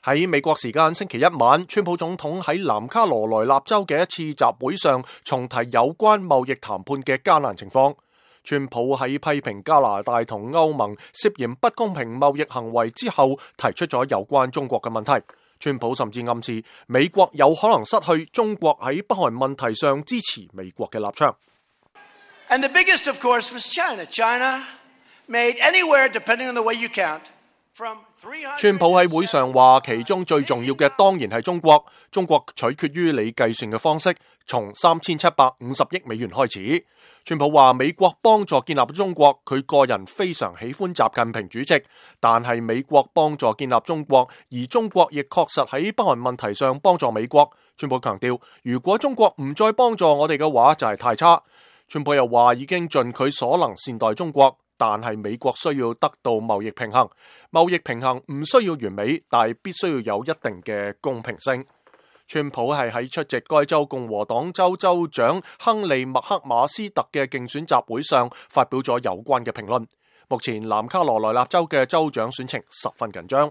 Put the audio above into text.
喺美國時間星期一晚，川普總統喺南卡羅來納州嘅一次集會上重提有關貿易談判嘅艱難情況。川普喺批評加拿大同歐盟涉嫌不公平貿易行為之後，提出咗有關中國嘅問題。川普甚至暗示美國有可能失去中國喺北韓問題上支持美國嘅立場。And the biggest, of course, was China. China made anywhere, depending on the way you count, from 300... 川普喺會上話，其中最重要嘅當然係中國。中國取決於你計算嘅方式，從3750億美元開始。川普話美國幫助建立中國，佢個人非常喜歡習近平主席，但係美國幫助建立中國，而中國亦確實喺北韓問題上幫助美國。川普強調，如果中國唔再幫助我哋嘅話，就係太差。川普又話已經盡佢所能善待中國，但係美國需要得到貿易平衡。貿易平衡唔需要完美，但係必須要有一定嘅公平性。川普係喺出席該州共和黨州州長亨利麥克馬斯特嘅競選集會上發表咗有關嘅評論。目前南卡羅來納州嘅州長選情十分緊張。